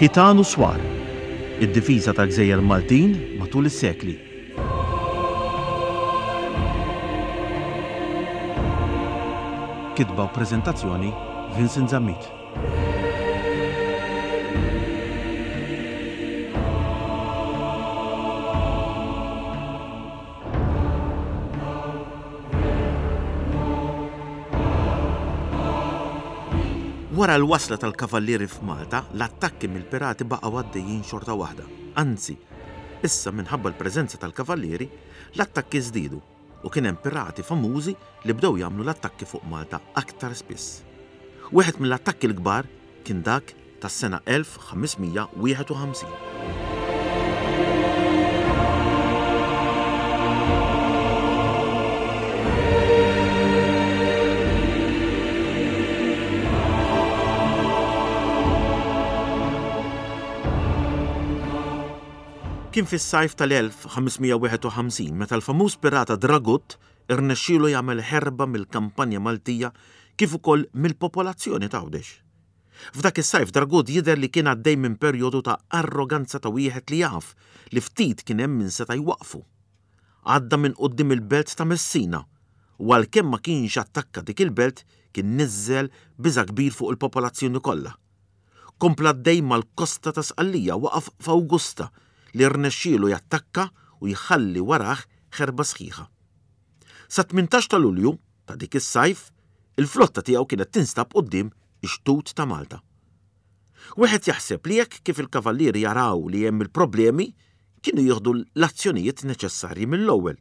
Ħitan u Swar, id-difiża tal-gżejjer Maltin matul is-sekli. Kitba u preżentazzjoni Vincent Zammit. Wara l-wasla tal-Kavallieri f'Malta, l-attakki mill-pirati baqgħu għaddejjin xorta waħda. Anzi, issa minħabba l-preżenza tal-Kavallieri, l-attakki żdiedu u kien hemm pirati famużi li bdew jagħmlu l-attakki fuq Malta aktar spiss. Wieħed mill-attakki l-kbar kien dak tas-sena 1551. Kien fis-sajf tal-1551 meta l-famuż pirata Dragut irnexxielu jagħmel ħerba mill-kampanja Maltija kif ukoll mill-popolazzjoni t'Għawdex. F'dak is-sajf Dragut jidher li kien għaddej minn perjodu ta' arroganza ta' wieħed li jaf li ftit kien hemm min seta' jwaqqfu. Għadda minn quddiem il-belt ta' Messina u għalkemm ma kienx attakka dik il-belt kien niżżel biża' kbir fuq il-popolazzjoni kollha. Kompla għaddej mal-kosta ta' Sqallija waqaf f'Awgusta li rnexxielu jattakka u jħalli warah ħerba sħiħa. Sat-18 ta' Lulju ta' dik is-sajf, il-flotta tiegħu kienet tinstab quddiem ix-xtut ta' Malta. Wieħed jaħseb li hekk kif il-kavallieri jaraw li hemm il-problemi, kienu jieħdu l-azzjonijiet neċessarji mill-ewwel.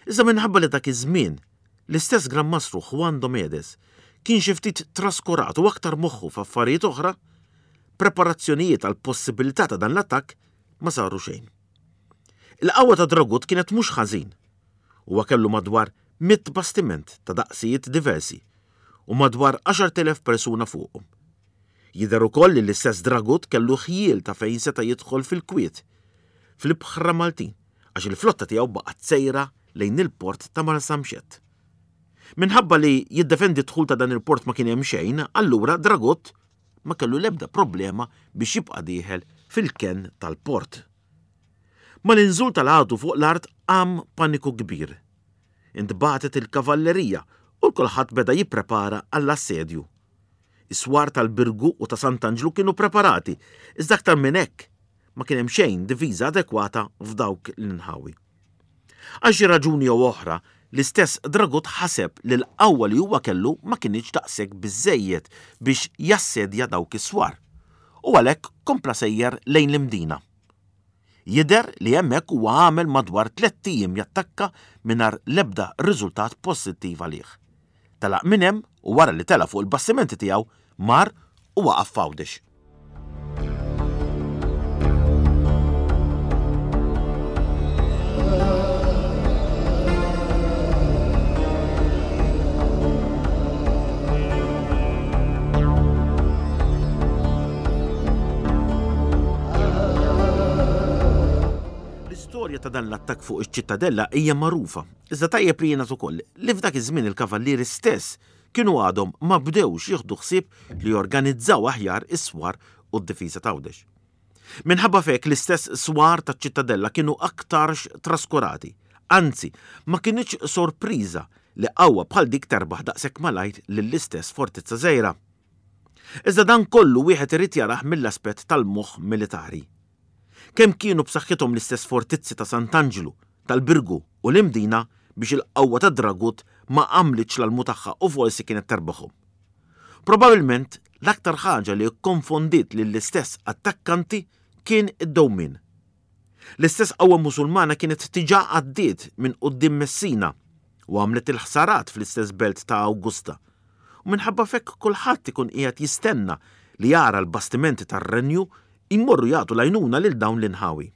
Iżda minħabba li dak iż-żmien, l-istess Gran Mastru Juan Domedes kien xi ftit traskurat u aktar moħħu f'affarijiet oħra, preparazzjonijiet għall-possibilità ta' dan l-attakk ma saru xejn. Il-qawwa ta' Dragut kienet mhux ħażin. Huwa kellu madwar mitt bastiment ta' daqsijiet diversi u madwar 10,000 persuna fuqhom. Jidher ukoll li l-istess Dragut kellu ħjiel ta' fejn seta' jidħol fil-kwiet fl-ibħra Maltin għax il-flotta tiegħu baqgħet sejra lejn il-port ta' Marsamxett. Minħabba li jiddefendi d-dħul ta' dan il-port ma kien hemm xejn, allura Dragut ma kellu l-ebda problema biex jibqa' dieħel fil-kenn tal-port. Mal-inżul tal-għadu fuq l-art qam paniku kbir. Intbagħtet il-kavallerija u kulħadd beda jipprepara għall-assedju. Is-swar tal-Birgu u ta' Sant'Anġlu kienu preparati, iżda aktar minn hekk ma kien hemm xejn difiża adekwata f'dawk l-inħawi. Għal xi raġuni jew oħra, l-istess Dragut ħaseb li l-qawwa li huwa kellu ma kinitx daqshekk biżżejjed biex jassedja dawk is-swar, u għalhekk kompla sejjer lejn l-Imdina. Jidher li hemmhekk huwa għamel madwar tlett ijiem jattakka mingħajr l-ebda riżultat pożittiv għalih. Telaq minn hemm u wara li tela' fuq il-bastimenti tiegħu mar u waqaf f'Għawdex. L-istorja ta' dan l-attakk fuq iċ-Ċittadella hija magħrufa, iżda tajjeb li jingħad ukoll li f'dak iż-żmien il-Kavallieri stess kienu għadhom ma bdewx jieħdu ħsieb li jorganizzaw aħjar is-swar u d-difiża t'Għawdex. Minħabba f'hekk l-istess swar taċ-Ċittadella kienu aktarx traskurati. Anzi, ma kinitx sorpriża li qawwa bħal dik terbaħ daqshekk malajr lill-istess fortizza żgħira. Iżda dan kollu wieħed irid jarah mill-aspett tal-moħħ militari. Kemm kienu b'saħħithom l-istess fortizzi ta' Sant'Anġlu, tal-Birgu u l-Imdina biex il-qawwa tad-Dragut ma għamlitx l-almu tagħha u forsi kienet terbaħhom. Probabilment l-aktar ħaġa li kkonfondiet lill-istess attakkanti kien id-dewmien. L-istess qawwa Musulmana kienet diġà għaddiet minn quddiem Messina u għamlet il-ħsarat fl-istess belt ta' Awgusta. U minħabba f'hekk kulħadd ikun qiegħed jistenna li jara l-bastimenti tar-renju jmorru jagħtu l-għajnuna lil dawn l-inħawi.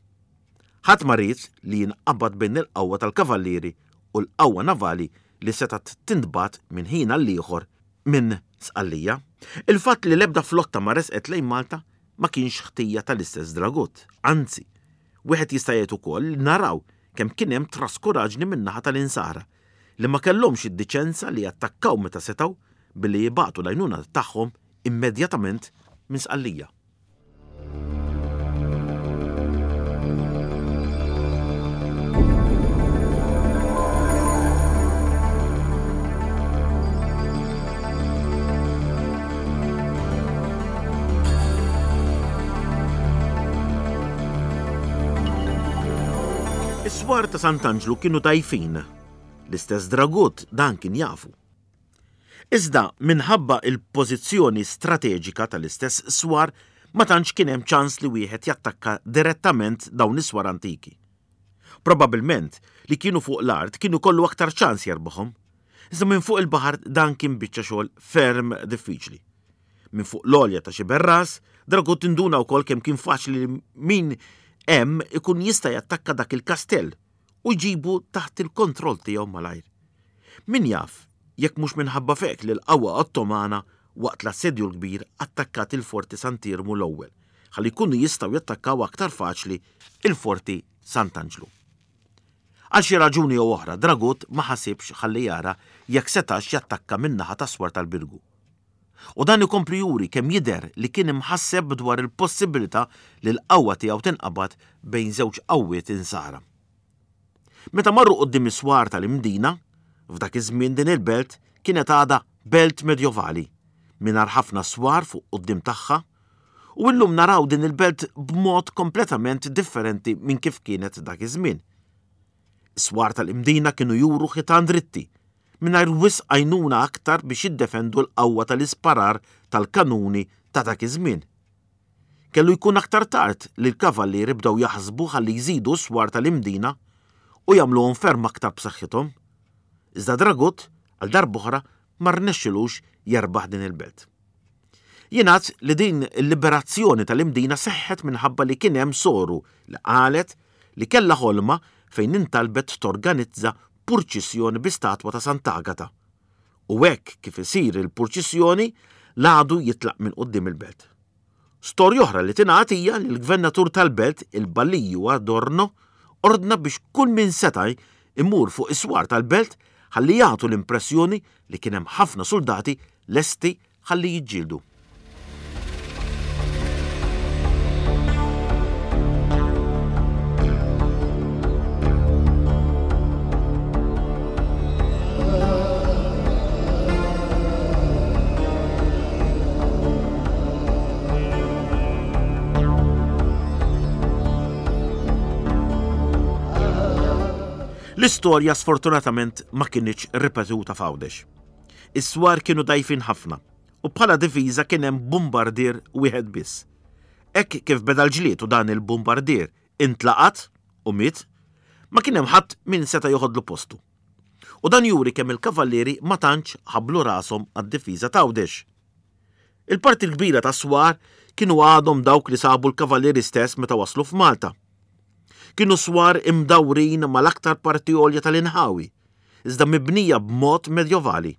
Ħadd ma ried li jinqabad bejn il-qawwa tal-kavallieri u l-qawwa navali li setgħet tintbagħat minn ħin għall-ieħor minn Sqallija. Il-fatt li l-ebda flotta ma resqet lejn Malta ma kienx ħtija tal-istess Dragut, anzi, wieħed jista' jgħid ukoll li naraw kemm kien hemm traskuraġni min-naħa tal-Insara li ma kellhomx id-diċenza li jattakkaw meta setgħu billi jibagħtu l-għajnuna tagħhom immedjatament minn Sqallija. Is-swar ta' Sant'Anġlu kienu dgħajfin. L-istess Dragut dan kien jafu. Iżda minħabba l-pożizzjoni strateġika tal-istess swar ma tantx kien hemm ċans li wieħed jattakka direttament dawn is-swar antiki. Probabbilment li kienu fuq l-art kien ikollu aktar ċans jerbaħhom. Iżda minn fuq il-baħar dan kien biċċa xogħol ferm diffiċli. Minn fuq l-għolja ta' Xiberras, Dragut induna wkoll kemm kien faċli li min hemm ikun jista' jattakka dak il-kastell u jġibu taħt il-kontroll tiegħu malajr. Min jaf jekk mhux minħabba f'hekk li l-qawwa Ottomana waqt l-Assedju l-Kbir attakkat il-Forti Sant'Iermu l-ewwel ħalli jkunu jistgħu jattakkaw aktar faċli il-Forti Sant'Anġlu. Għal xi raġuni jew oħra Dragut ma ħasibx ħalli jara jekk setax jattakka min-naħa tas-swar tal-Birgu. U dan ikompli juri kemm jidher li kien imħasseb dwar il-possibilità li l-qawwa tiegħu tinqabad bejn żewġ qawwiet insara. Meta marru quddiem is-swar tal-Imdina, f'dak iż-żmien din il-belt kienet għadha belt medjovali, mingħajr ħafna swar fuq quddiem tagħha, u illum naraw din il-belt b'mod kompletament differenti minn kif kienet dak iż-żmien. Is-swar tal-Imdina kienu juru ħitan dritti, mingħajr wisq għajnuna aktar biex jiddefendu l-qawwa tal-isparar tal-kanuni ta' dak iż-żmien. Kellu jkun aktar tard li l-kavallieri bdew jaħsbu ħalli jżidu s-swar tal-Imdina u jagħmluhom ferm aktar b'saħħithom. Iżda Dragut, għal darb'oħra, ma rnexxilux jerbaħ din il-belt. Jingħad li din il-liberazzjoni tal-Imdina seħħet minħabba li kien hemm soru li qalet li kellha ħolma fejn intalbet torganizza purċissjoni bi statwa ta' Sant'Agata. U hekk kif isir il-purċissjoni, l-għadu jitlaq minn quddiem il-belt. Storja oħra li tingħad hija li l-gvernatur tal-belt, il-Baliju Adorno, ordna biex kull min seta' jmur fuq is-swar tal-belt ħalli jagħtu l-impressjoni li kien hemm ħafna suldati lesti ħalli jiġġieldu. L-istorja sfortunatament ma kinitx ripetuta f'Għawdex. Is-swar kienu dgħajfin ħafna u bħala difiża kien hemm bumbardier wieħed biss. Hekk kif beda l-ġlied u dan il-bumbardier intlaqat u miet, ma kien hemm ħadd min seta' joħodlu postu. U dan juri kemm il-kavallieri ma tantx ħabblu rashom għad-difiża t'Għawdex. Il-parti l-kbira tas-swar kienu għadhom dawk li sabu l-kavallieri stess meta waslu f'Malta. Kienu swar imdawrin mal-aktar parti għolja tal-inħawi, iżda mibnija b'mod medjovali.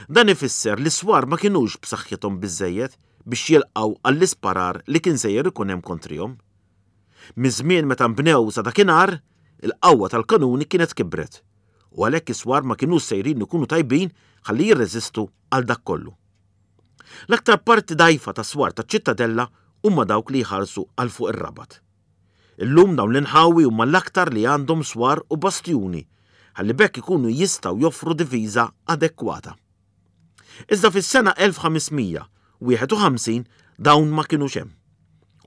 Dan ifisser li s-swar ma kinux b'saħħithom biżżejjed biex jilqgħu għall-isparar li kien sejjer ikun hemm kontrihom. Miż-żmien meta nbnew sa dakinhar, il-qawwa tal-kanuni kienet kibret, u għalhekk is-swar ma kinux sejrin ikunu tajbin ħalli jirreżistu għal dak kollu. L-aktar parti dgħajfa tas-swar taċ-Ċittadella huma dawk li jħarsu għal fuq ir-Rabat. Illum dawn l-inħawi huma l-aktar li għandhom swar u bastjuni ħalli b'hekk ikunu jistgħu joffru difiża adekwata. Iżda fis-sena 1551 dawn ma kinux hemm.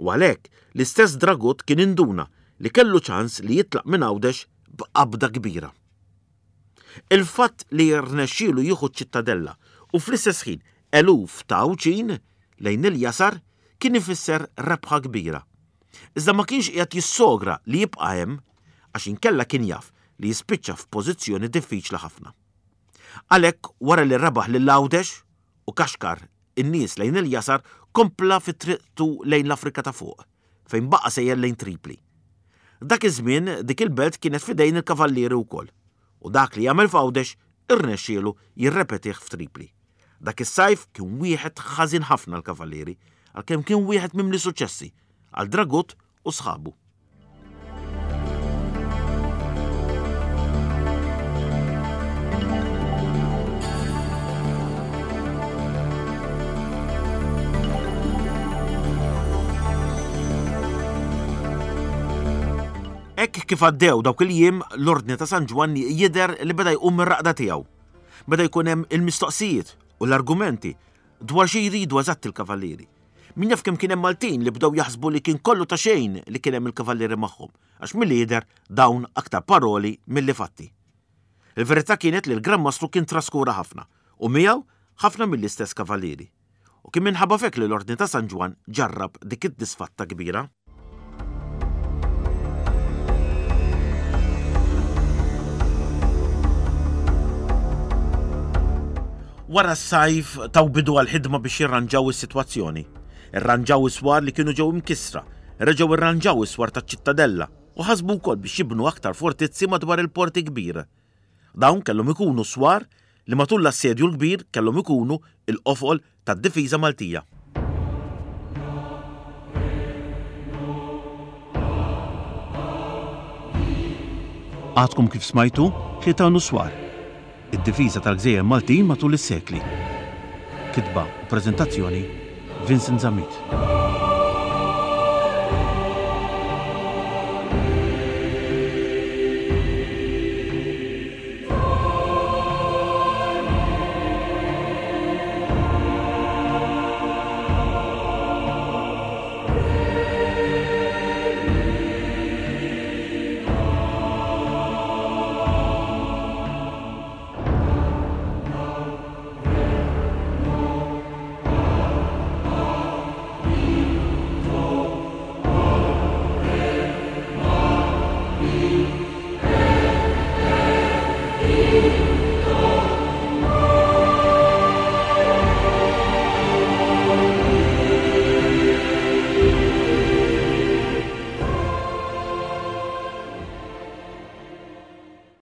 U għalhekk l-istess Dragut kien induna li kellu ċans li jitlaq minn Għawdex b'qabda kbira. Il-fatt li rnexxielu jieħu ċ-Ċittadella u fl-istess ħin eluf ta' Għawdxin lejn il-jasar kien ifisser rebħa kbira. Iżda ma kienx qiegħed jissogra li jibqa' hemm għax inkella kien jaf li jispiċċa f'pożizzjoni diffiċli ħafna. Għalhekk wara li rebaħ lil Għawdex u kaxkar in-nies lejn il-jasar kompla fi triqtu lejn l-Afrika ta' Fuq, fejn baqa' sejjer lejn Tripli. Dak iż-żmien dik il-belt kienet f'idejn il-Kavallieri wkoll, u dak li għamel f'Għawdex irnexxielu jirrepetih f'Tripli. Dak is-sajf kien wieħed ħażin ħafna għall-Kavallieri, għalkemm kien wieħed mimli suċċessi għal Dragut u sħabu. Hekk kif għaddew dawk il-jiem, l-Ordni ta' San Ġwann jidher li beda jqum mir-raqda tiegħu. Beda jkun hemm il-mistoqsijiet u l-argumenti dwar xi jridu eżatt il-kavallieri. Min jaf kemm kien hemm Maltin li bdew jaħsbu li kien kollu ta' xejn li kien hemm il-kavallieri magħhom, għax milli jidher dawn aktar paroli milli fatti. Il-verità kienet li l-Gran Mastru kien traskura ħafna, u miegħu ħafna mill-istess kavallieri. U kien minħabba f'hekk li l-Ordni ta' San Ġwann ġarrab dik id-disfatta kbira. Wara s-sajf taw bidu għall-ħidma biex jirranġaw is-sitwazzjoni. Irranġaw is-swar li kienu ġew imkissra, reġgħu rranġaw is-swar taċ-Ċittadella u ħasbu wkoll biex jibnu aktar fortizzi madwar il-Port il-Kbir. Dawn kellhom ikunu swar li matul l-Assedju l-Kbir kellhom ikunu l-qofol tad-difiża Maltija. Għadkom kif smajtu Ħitan u Swar, id-difiża tal-gżejjer Maltin matul is-sekli. Kitba u preżentazzjoni Vincent Zammit.